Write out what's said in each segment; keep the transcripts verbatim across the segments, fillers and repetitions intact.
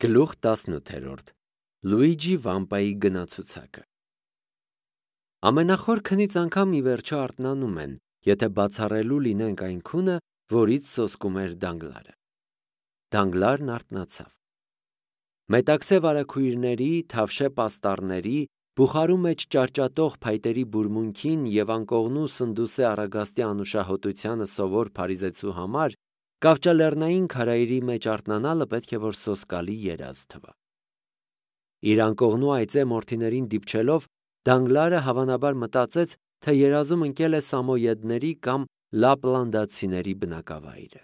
Գլուխ տասնութ Լուիջի Վամպայի գնացուցակը Ամենախոր քնից անգամ ի վերջո արթնանում են, եթե բացառելու լինենք այն քունը, որից սոսկում էր Դանգլարը։ Դանգլարն արթնացավ։ Մետաքսե վարագույրների, թավշե պաստառների, բուխարու մեջ ճարճատող փայտերի բուրմունքին և անկողնու սնդուսե առագաստի անուշահոտությանը սովոր փարիզեցու համար կավճալեռնային քարայրի մեջ արթնանալը պետք է որ սոսկալի երազ թվա։ Իր անկողնու այծե մորթիներին դիպչելով Դանգլարը հավանաբար մտածեց, թե երազում ընկել է սամոյեդների կամ լապլանդացիների բնակավայրը։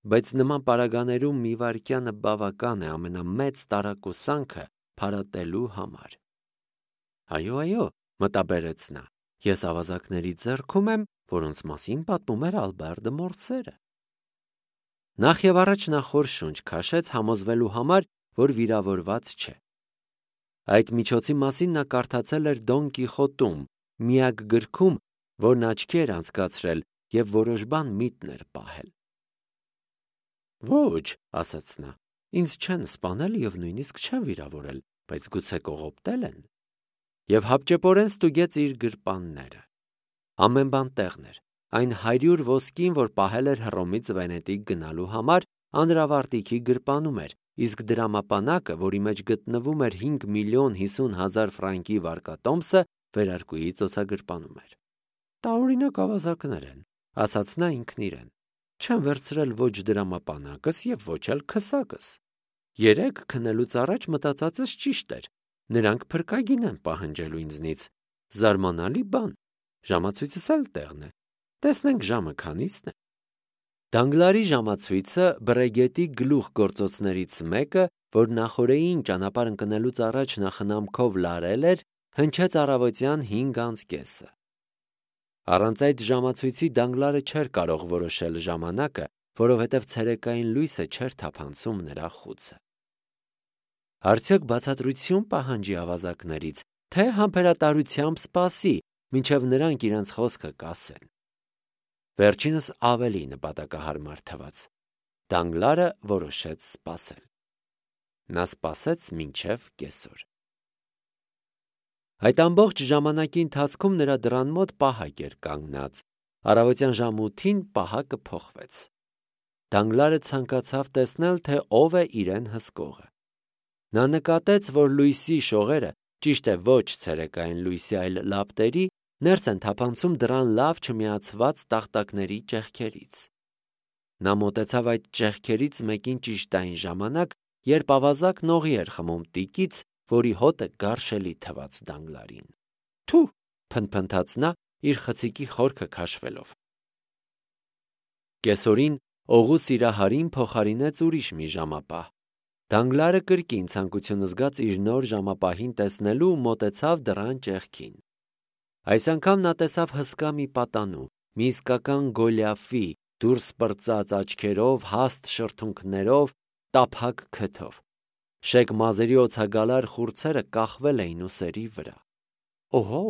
Բայց նման պարագաներում մի վայրկյանը բավական է ամենամեծ տարակուսանքը փարատելու համար։ Այո, այո, մտաբերեց նա, ես ավազակների ձեռքում եմ, որոնց մասին պատմում էր Ալբեր դը Մորսերը։ Նախ եւ առաջ նա խոր շունչ քաշեց համոզվելու համար, որ վիրավորված չէ։ Այդ միջոցի մասին նա կարդացել էր Դոն Կիխոտում, միակ գրքում, որն աչքի էր անցկացրել և որոշ բան միտն էր պահել։ Ոչ, ասաց նա, ինձ չեն սպանել և նույնիսկ չեն վիրավորել, բայց գուցե կողոպտել են։ Եվ հապճեպորեն ստուգեց իր գրպանները։ Ամեն բան տեղն էր, այն հարյուր ոսկին, որ պահել էր Հռոմից Վենետիկ գնալու համար, Անդրավարտիքի գրպանում էր, իսկ դրամապանակը, որի մեջ գտնվում էր հինգ միլիոն հիսուն հազար ֆրանկի վարկատոմսը, վերարկուի ծոցագրպանում էր։ Տարօրինակ ավազակներ են, ասաց նա ինքն իրեն, չեմ վերցրել ոչ դրամապանակս և ոչ էլ քսակս։ Երեկ քնելուց առաջ մտածածս ճիշտ էր, նրանք փրկագին են պահանջելու ինձնից, զարմանալի բան, ժամացույցս էլ տեղն է, տեսնենք ժամը քանիսն է։ Դանգլարի ժամացույցը Բրեգետի գլուխ գործոցներից մեկը, որ նախօրեին ճանապարհ ընկնելուց առաջ նա խնամքով լարել էր, հնչեց առավոտյան հինգ անց կեսը։ Առանց այդ ժամացույցի Դանգլարը չէր կարող որոշել ժամանակը, որովհետև ցերեկային լույսը չէր թափանցում նրա խուցը։ Արդյոք բացատրություն պահանջի ավազակներից, թե համբերատարությամբ սպասի, մինչև նրանք իրենց խոսքը կասեն։ Վերջինս ավելի նպատակահարմար թվաց։ Դանգլարը որոշեց սպասել։ Նա սպասեց մինչև կեսօր։ Այդ ամբողջ ժամանակի ընթացքում նրա դռան մոտ պահակ էր կանգնած։ Առավոտյան ժամը ութին պահակը փոխվեց։ Դանգլարը ցանկացավ տեսնել, թե ով է իրեն հսկողը։ Նա նկատեց, որ լույսի շողերը, ճիշտ է ոչ ցերեկային լույսի, այլ լապտերի, ներս են թափանցում դռան լավ չմիացված տախտակների ճեղքերից։ Նա մոտեցավ այդ ճեղքերից մեկին ճիշտ այն ժամանակ, երբ ավազակն օղի էր խմում տիկից, որի հոտը գարշելի թվաց Դանգլարին։ Թու, փնթփնթաց նա, իր խցիկի խորքը քաշվելով։ Կեսօրին օղու սիրահարին փոխարինեց ուրիշ մի ժամապահ։ Դանգլարը կրկին ցանկություն զգաց իր նոր ժամապահին տեսնելու ու մոտեցավ դռան ճեղքին։ Այս անգամ նա տեսավ հսկա մի պատանու, մի իսկական Գոլիաֆի, դուրս պրծած աչքերով, հաստ շրթունքներով, տափակ քթով։ Շեկ մազերի օձագալար խուրձերը կախվել էին ուսերի վրա։ Օհո,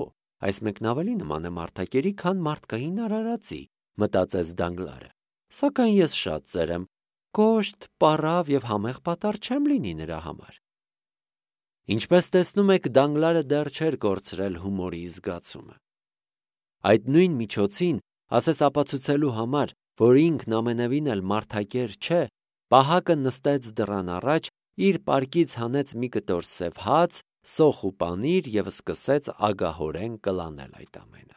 այս մեկն ավելի նման է մարդակերի, քան մարդկային արարածի, մտածեց Դանգլարը, սակայն ես շատ ծեր եմ, կոշտ, պառավ և համեղ պատառ չեմ լինի նրա համար։ Ինչպես տեսնում եք, Դանգլարը դեռ չէր կորցրել հումորի զգացումը։ Այդ նույն միջոցին, ասես ապացուցելու համար, որ ինքն ամենևին էլ մարդակեր չէ, պահակը նստեց դռան առաջ, իր պարկից հանեց մի կտոր սև հաց, սոխ ու պանիր և սկսեց ագահորեն կլանել այդ ամենը։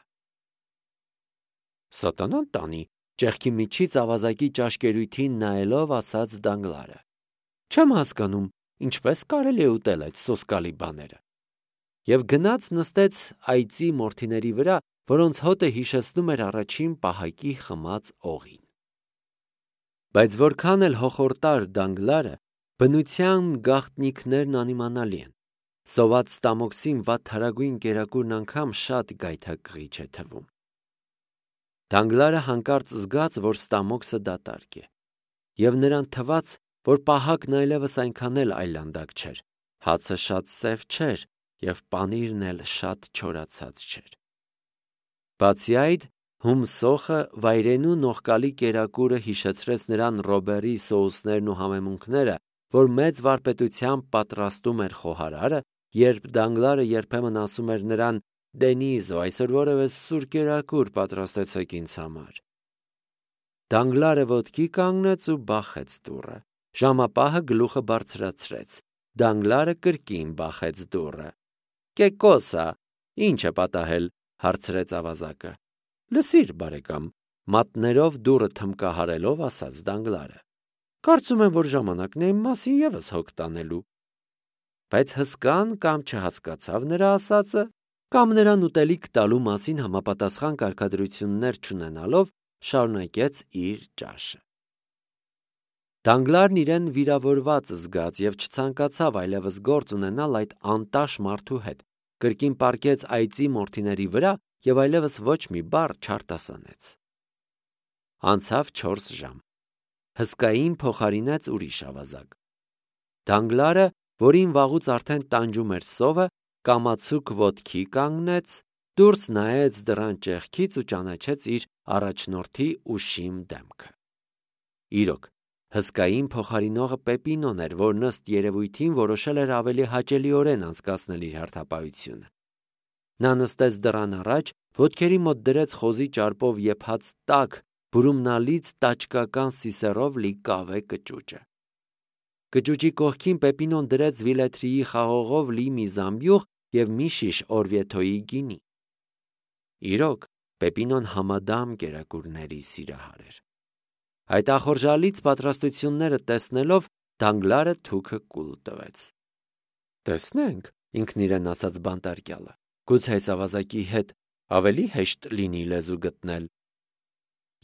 Սատանան տանի, ճեղքի միջից ավազակի ճաշկերույթին նայելով ասաց Դանգլարը։ Չեմ հասկանում, ինչպես կարելի է ուտել այդ սոսկալի բաները։ Եվ գնաց նստեց այծի մորթիների վրա, որոնց հոտը հիշեցնում էր առաջին պահակի խմած օղին։ Բայց որքան էլ հոխորտար Դանգլարը, բնության գաղտնիքներն անիմանալի են։ Սոված ստամոքսին վատթարագույն կերակուրն անգամ շատ գայթակղիչ է թվում։ Դանգլարը հանկարծ զգաց, որ ստամոքսը դատարկ է, և նրան թվաց, որ պահակն այլևս այնքան էլ այլանդակ չէր, հացը շատ սև չէր և պանիրն էլ շատ չորացած չէր։ Բացի այդ, հում սոխը, վայրենու նողկալի կերակուրը հիշեցրեց նրան Ռոբերի սոուսներն ու համեմունքները, որ մեծ վարպետությամբ պատրաստում էր խոհարարը, երբ Դանգլարը երբեմն ասում էր նրան. «Դենիզո, այսօր որևէ սուր կերակուր պատրաստեցեք ինձ համար»։ Դանգլարը ոտքի կանգնեց ու բախեց դուռը։ Ժամապահը գլուխը բարձրացրեց։ Դանգլարը կրկին բախեց դուռը։ «Կեկոսա, ի՞նչ է պատահել», հարցրեց ավազակը։ «Լսիր, բարեկամ», մատներով դուռը թմկահարելով ասաց Դանգլարը։ «Կարծում եմ, որ ժամանակն է իմ մասին ևս հոգ տանելու»։ Բայց հսկան կամ չհասկացավ նրա ասածը, կամ նրան ուտելիք տալու մասին համապատասխան կարգադրություններ չունենալով շարունակեց իր ճաշը։ Դանգլարն իրեն վիրավորված զգաց և չցանկացավ այլևս գործ ունենալ այդ անտաշ մարդու հետ, կրկին պառկեց այծի մորթիների վրա և այլևս ոչ մի բառ չարտասանեց։ Անցավ չորս ժամ։ Հսկային փոխարինեց ուրիշ ավազակ։ Դանգլարը, որին վաղուց արդեն տանջում էր սովը, կամացուկ ոտքի կանգնեց, դուրս նայեց դռան ճեղքից ու ճանաչեց իր առաջնորդի ուշիմ դեմքը։ Իրոք, հսկային փոխարինողը Պեպինոն էր, որն ըստ երևույթին որոշել էր ավելի հաճելիորեն անցկացնել իր հերթապահությունը։ Նա նստեց դռան առաջ, ոտքերի մոտ դրեց խոզի ճարպով եփած տաք, բուրումնալից տաճկական սիսեռով լի կավե կճուճը։ Կճուճի կողքին Պեպինոն դրեց Վիլեթրիի խաղողով լի մի զամբյուղ և մի շիշ օրվյեթոյի գինի։ Իրոք, Պեպինոն համադամ կերակուրների սիրահար էր։ Այդ ախորժալից պատրաստությունները տեսնելով Դանգլարը թուքը կուլ տվեց։ «Տեսնենք», ինքն իրեն ասաց բանտարկյալը, «գուցե այս ավազակի հետ ավելի հեշտ լինի լեզու գտնել»։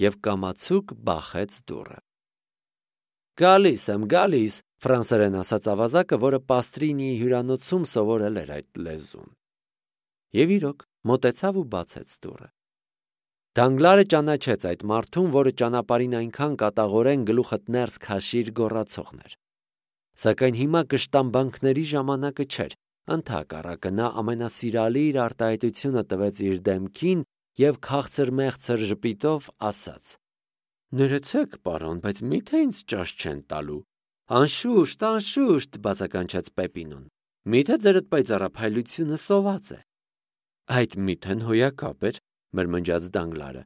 Եվ կամացուկ բախեց դուռը։ «Գալիս եմ, գալիս», ֆրանսերեն ասաց ավազակը, որը Պաստրինիի հյուրանոցում սովորել էր այդ լեզուն։ Եվ իրոք, մոտեցավ ու բացեց դուռը։ Դանգլարը ճանաչեց այդ մարդուն, որը ճանապարհին այնքան կատաղորեն գլուխդ ներս քաշիր գոռացողն էր։ Սակայն հիմա կշտամբանքների ժամանակը չէր, ընդհակառակը նա ամենասիրալի իր արտահայտությունը տվեց իր դեմքին և քաղցր-մեղցր ժպիտով ասաց. «Ներեցեք, պարոն, բայց մի՞թե ինձ ճաշ չեն տալու»։ «Անշուշտ, անշուշտ», բացականչեց Պեպինոն, «մի՞թե ձերդ պայծառափայլությունը սոված է»։ «Այդ միթեն հոյակապ էր», մրմնջաց Դանգլարը։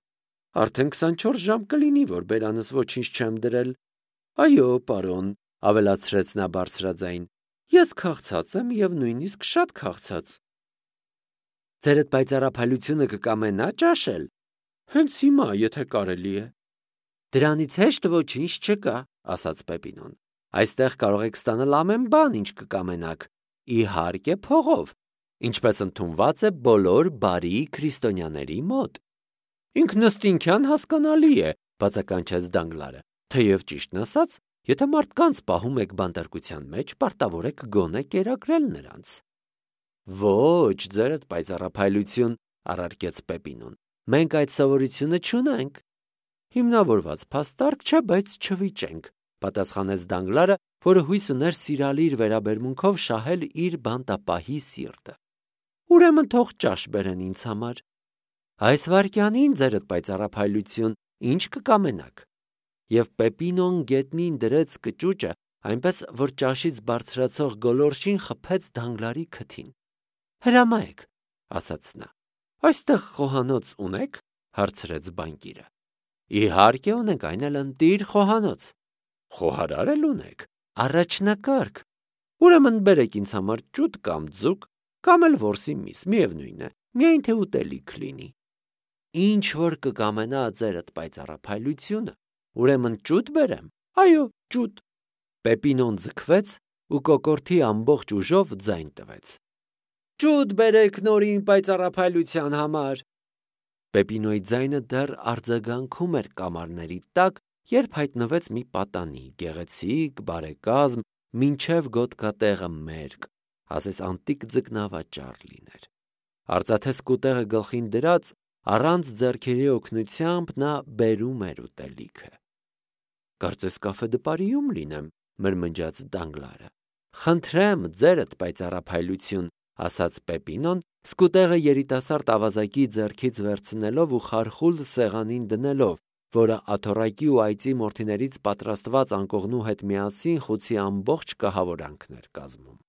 «Արդեն քսանչորս ժամ կլինի, որ բերանս ոչինչ չեմ դրել»։ «Այո, պարոն», ավելացրեց նա բարձրաձայն, «ես քաղցած եմ և նույնիսկ շատ քաղցած»։ «Ձերդ պայծառափայլությունը կկամենա ճաշել»։ «Հենց հիմա, եթե կարելի է»։ «Դրանից հեշտ ոչինչ չկա», ասաց Պեպինոն։ «Այստեղ կարող եք ստանալ ամեն բան, ինչ կկամենաք, իհարկե փողով, ինչպես ընդունված է բոլոր բարի քրիստոնյաների մոտ»։ «Ինքնըստինքյան հասկանալի է», բացականչեց Դանգլարը, «թեև ճիշտն ասած, եթե մարդկանց պահում եք բանտարկության մեջ, պարտավոր եք գոնե կերակրել նրանց»։ «Ոչ, ձերդ պայծառափայլություն», առարկեց Պեպինոն, «մենք այդ սովորությունը չունենք»։ «Հիմնավորված փաստարկ չէ, բայց չվիճենք», պատասխանեց Դանգլարը, որը հույս ուներ սիրալիր վերաբերմունքով շահել իր բանտապահի սիրտը։ «Ուրեմն թող ճաշ բերեն ինձ համար»։ «Այս վայրկյանին, ձերդ պայծառափայլություն, ինչ կկամենաք»։ Եվ Պեպինոն գետնին դրեց կճուճը, այնպես որ ճաշից բարձրացող գոլորշին խփեց Դանգլարի քթին։ «Հրամայեք», ասաց նա։ «Այստեղ խոհանոց ունե՞ք», հարցրեց բանկիրը։ «Իհարկե ունենք, այն էլ ընտիր խոհանոց»։ «Խոհարար էլ ունեք»։ «Առաջնակարգ»։ «Ուրեմն բերեք ինձ համար ճուտ կամ ձուկ, կամ էլ որսի միս, միևնույն է, միայն թե ուտելիք լինի»։ «Ինչ որ կկամենա ձերդ պայծառափայլությունը, ուրեմն ճուտ բերեմ»։ «Այո, ճուտ»։ Պեպինոն ձգվեց ու կոկորդի ամբողջ ուժով ձայն տվեց։ «Ճուտ բերեք նորին պայծառափայլության համար»։ Պեպինոյի ձայնը դեռ արձագանքում էր կամարների տակ, երբ հայտնվեց մի պատանի, գեղեցիկ, բարեկազմ, մինչև գոտկատեղը մերկ, ասես անտիկ ձկնավաճառ լիներ։ Արծաթե սկուտեղը գլխին դրած, առանց ձեռքերի օգնությամբ նա բերում էր ուտելիքը։ «Կարծես կաֆե դպարիում լինեմ», մրմնջաց Դանգլարը։ «Խնդրեմ, ձերդ պայծառափայլություն», ասաց Պեպինոն, սկուտեղը երիտասարդ ավազակի ձեռքից վերցնելով ու խարխուլ սեղանին դնելով, որը աթոռակի ու այծի մորթիներից պատրաստված անկողնու հետ միասին խուցի ամբողջ կահավորանքն էր կազմում։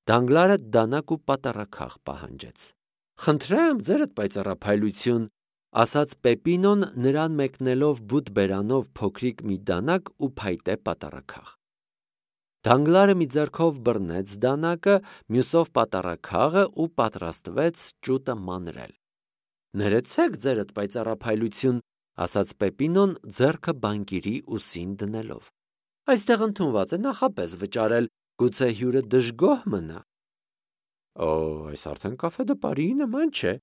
Դանգլարը դանակ ու պատառաքաղ պահանջեց։ «Խնդրեմ, ձերդ պայծառափայլություն», ասաց Պեպինոն նրան մեկնելով բութ բերանով փոքրիկ մի դանակ ու փայտե պատառաքաղ։ Դանգլարը մի ձեռքով բռնեց դանակը, մյուսով պատառաքաղը ու պատրաստվեց ճուտը մանրել։ «Ներեցեք, ձերդ պայծառափայլություն», ասաց Պեպինոն ձեռքը բանկիրի ուսին դնելով։ «Այստեղ ընդունված է նախապես վճարել, գուցե հյուրը դժգոհ մնա»։ «Օ, այս արդեն կաֆե-դպարի նման չէ»,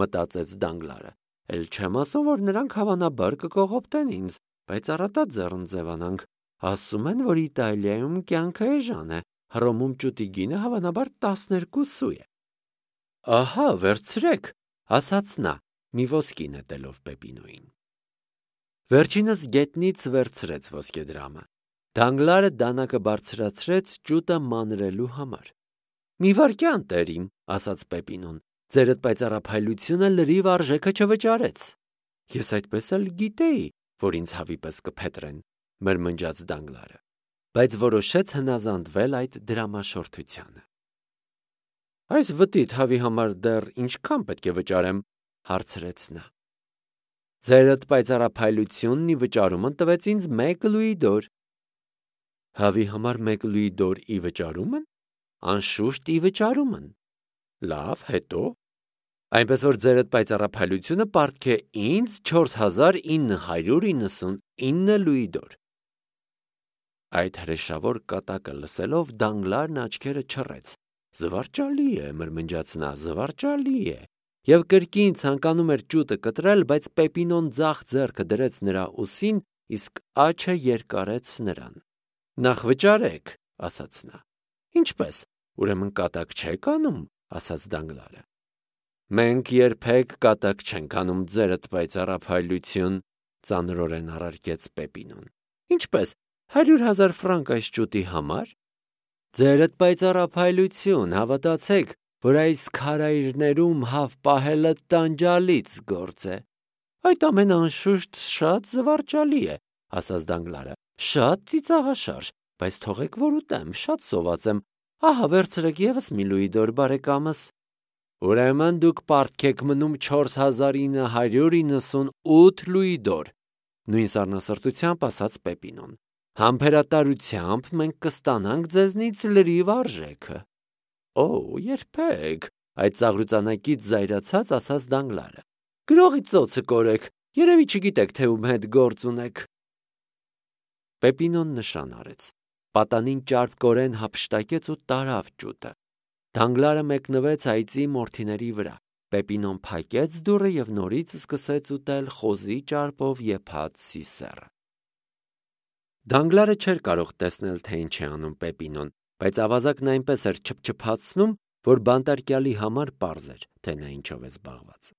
մտածեց Դանգլարը։ «Էլ չեմ ասում, որ նրանք հավանաբար կկողոպտեն ինձ, բայց առատա ձեռն ձևանանք։ Ասում են, որ Իտալիայում կյանքը էժան է, Հռոմում ճուտի գինը հավանաբար տասներկու սու է»։ «Ահա, վերցրեք», ասաց նա, մի ոսկի նետելով Պեպինոյին։ Վերջինս գետնից վերցրեց ոսկեդրամը։ Դանգլարը դանակը բարձրացրեց ճուտը մանրելու համար։ «Մի վայրկյան, տերիմ», ասաց Պեպինոն, «ձերդ պայծառափայլությունը լրիվ արժեքը չվճարեց»։ «Ես այդպես էլ գիտեի, որ ինձ հավի պես կփետրեն», մրմնջաց Դանգլարը, բայց որոշեց հնազանդվել այդ դրամաշորթությանը։ «Այս վտիտ հավի համար դեռ ինչքան պետք է վճարեմ», հարցրեց նա։ «Ձերդ պայծառափայլությունն ի վճարումն տվեց ինձ մեկ լուի դոր»։ «Հավի համար մեկ լուի դոր ի վճարում են»։ «Անշուշտ ի վճարում են»։ «Լավ, հետո»։ «Այնպես որ ձերդ պայծառափայլությունը պարտք է ինձ չորս հազար ինը հարյուր իննսունինը լուի դոր»։ Այդ հրեշավոր կատակը լսելով Դանգլարն աչքերը չռեց։ «Զվարճալի է», մրմնջաց նա, «զվարճալի է»։ Եվ կրկին ցանկանում էր ճուտը կտրել, բայց Պեպինոն ձախ ձեռքը դրեց նրա ուսին, իսկ աջը երկարեց նրան։ «Նախ վճարեք», ասաց նա։ «Ինչպես, ուրեմն կատակ չեք անում», ասաց Դանգլարը։ «Մենք երբեք կատակ չենք անում, ձերդ պայծառափայլություն», ծանրորեն առարկեց Պեպինոն։ «Ինչպես, հարյուր հազար ֆրանկ այս ճուտի համար»։ «Ձերդ պայծառափայլություն, հավատացեք, որ այս քարայրներում հավ պահելը տանջալից գործ է»։ «Այդ ամենը անշուշտ շատ զվարճալի է», ասաց Դանգլարը, «շատ ծիծաղաշարժ, բայց թողեք որ ուտեմ, շատ սոված եմ։ Ահա վերցրեք ևս մի լուի դոր, բարեկամս»։ «Ուրեմն դուք պարտք եք մնում չորս հազար ինը հարյուր իննսունութ լուի դոր», նույն սառնասրտությամբ ասաց Պեպինոն։ «Համբերատարությամբ մենք կստանանք ձեզնից լրիվ արժեքը»։ «Օ, երբեք», այդ ծաղրուծանակից զայրացած ասաց Դանգլարը։ «Գրողի ծոցը կորեք, երևի չգիտեք, թե ում հետ գործ ունեք»։ Պեպինոն նշան արեց։ Պատանին ճարպկորեն հափշտակեց ու տարավ ճուտը։ Դանգլարը մեկնվեց այծի մորթիների վրա։ Պեպինոն փակեց դուռը եւ նորից սկսեց ուտել խոզի ճարպով եփած սիսեռը։ Դանգլարը չէր կարող տեսնել, թե ինչ է անում Պեպինոն, բայց ավազակն այնպես էր չփչփացնում, որ բանտարկյալի համար պարզ էր, թե նա ինչով է զբաղված։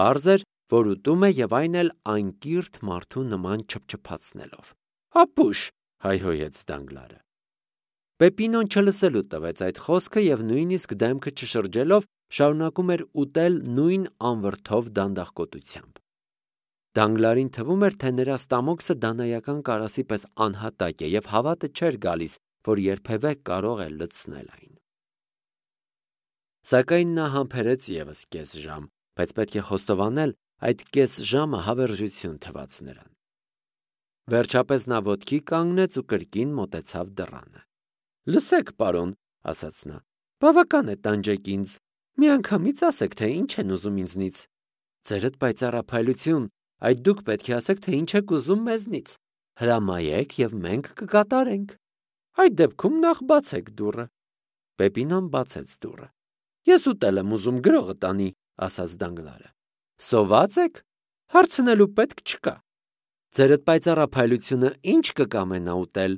Պարզ էր, որ ուտում է եւ այն էլ անկիրթ մարդու նման չփչփացնելով։ «Ապուշ», հայհոյեց Դանգլարը։ Պեպինոն չլսելու տվեց այդ խոսքը եւ նույնիսկ դեմքը չշրջելով շարունակում էր ուտել նույն անվրդով դանդաղկոտությամբ։ Դանգլարին թվում էր, թե նրա ստամոքսը դանայական կարասի պես անհատակ է եւ հավատը չէր գալիս, որ երբևէ կարող է լցնել այն։ Սակայն նա համբերեց ևս կես ժամ, բայց պետք է խոստովանել, այդ կես ժամը հավերժություն թվաց նրան։ Վերջապես նա ոտքի կանգնեց ու կրկին մոտեցավ դռանը։ «Լսեք, պարոն», ասաց նա, «բավական է տանջեք ինձ, միանգամից ասեք, թե ինչ են ուզում ինձնից։ Ձերդ պայծառափայլություն, այդ դուք պետք է ասեք, թե ինչ եք ուզում մեզնից։ Հրամայեք եւ մենք կկատարենք։ Այդ դեպքում նախ բացեք դուռը»։ Պեպինոն բացեց դուռը։ «Ես ուտել եմ ուզում, գրողը տանի», ասաց Դանգլարը։ «Սոված եք։ Հարցնելու պետք չկա։ Ձերդ պայծառափայլությունը ինչ կկամենա ուտել։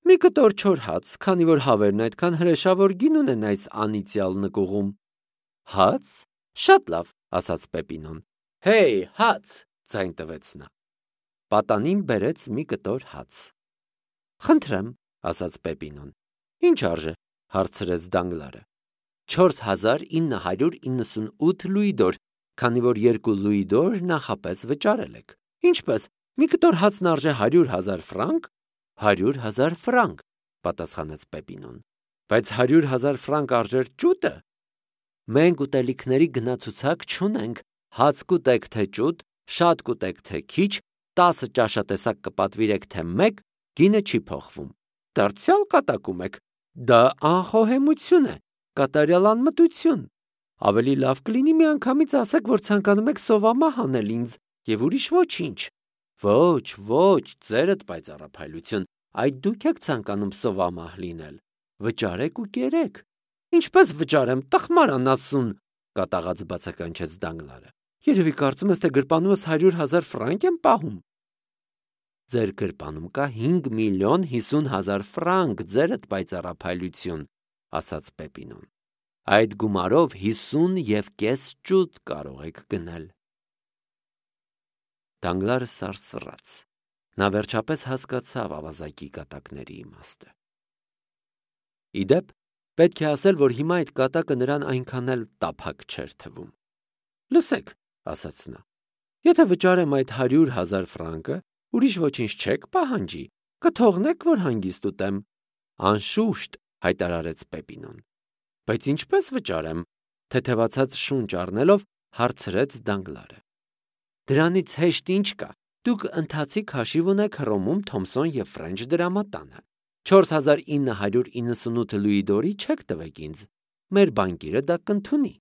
Մի կտոր չոր հաց, քանի որ հավերն այդքան հրեշավոր գին ունեն այս անիծյալ նկուղում»։ «Հաց։ Շատ լավ», ասաց Պեպինոն։ «Հեյ, հաց», ձայն տվեց նա։ Պատանին բերեց մի կտոր հաց։ «Խնդրեմ», ասաց Պեպինոն։ «Ինչ արժե», հարցրեց Դանգլարը։ «չորս հազար ինը հարյուր իննսունութ լուի դոր», քանի որ երկու լուի դոր նախապես վճարել եք։ Ինչպես, մի կտոր հացն արժե հարյուր հազար ֆրանկ։ Հարյուր հազար ֆրանկ, պատասխանեց Պեպինոն։ Բայց հարյուր հազար ֆրանկ արժեր ճուտը։ Մենք ուտելիքների գնացուցակ չունենք, հաց կուտեք թե ճուտ, շատ կուտեք թե քիչ, տասը ճաշատեսակ կպատվիրեք թե մեկ, գինը չի փոխվում։ Դարձյալ կատակում եք։ Դա անխոհեմություն է, կատարյալ անմտություն։ Ավելի լավ կլինի միանգամից ասեք, որ ցանկանում եք սովամահ անել ինձ եւ ուրիշ ոչինչ։ Ոչ, ոչ, ձերդ պայծառափայլություն, այդ դուք եք ցանկանում սովամահ լինել։ Վճարեք ու կերեք։ Ինչպես վճարեմ, տխմար անասուն, կատաղած բացականչեց Դանգլարը։ Երևի կարծում ես, թե գրպանումս հարյուր հազար ֆրանկ եմ պահում։ Ձեր գրպանում կա հինգ միլիոն հիսուն հազար ֆրանկ, ձերդ պայծառափայլություն, ասաց Պեպինոն։ Այդ գումարով հիսուն և կես ճուտ կարող եք գնել։ Դանգլարը սարսռաց։ Նա վերջապես հասկացավ ավազակի կատակների իմաստը։ Իդեպ, պետք է ասել, որ հիմա այդ կատակը նրան այնքան էլ տափակ չէր թվում։ Լսեք, ասաց նա, եթե վճարեմ այդ հարյուր հազար ֆրանկը, ուրիշ ոչինչ չեք պահանջի, կթողնեք, որ հանգիստ ուտեմ։ Անշուշտ, հայտարարեց Պեպինոն։ Բայց ինչպես վճարեմ, թեթևացած շունչ առնելով հարցրեց Դանգլարը։ Դրանից հեշտ ինչ կա, դուք ընթացիկ հաշիվ ունեք Հռոմում Թոմսոն և Ֆրենչ դրամատանը։ չորս հազար ինը հարյուր իննսունութ լուի դորի չեք տվեք ինձ, մեր բանկիրը դա կընդունի։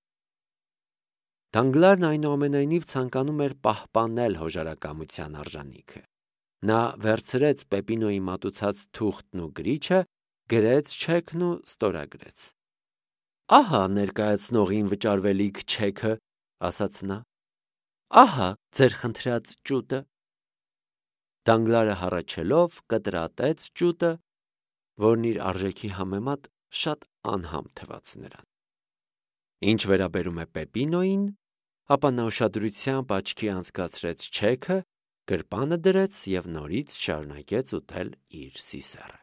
Դանգլարն այնուամենայնիվ ցանկանում էր պահպանել հոժարակամության արժանիքը։ Նա վերցրեց Պեպինոյի մատուցած թուղթն ու գրիչը, գրեց չեքն ու ստորագրեց։ Ահա ներկայացնողին վճարվելիք չեքը, ասաց նա։ Ահա ձեր խնդրած ճուտը։ Դանգլարը հառաչելով կտրատեց ճուտը, որն իր արժեքի համեմատ շատ անհամ թվաց նրան։ Ինչ վերաբերում է Պեպինոյին, ապա նա ուշադրությամբ աչքի անցկացրեց չեքը, գրպանը դրեց և նորից շարունակեց ուտել իր սիսեռը։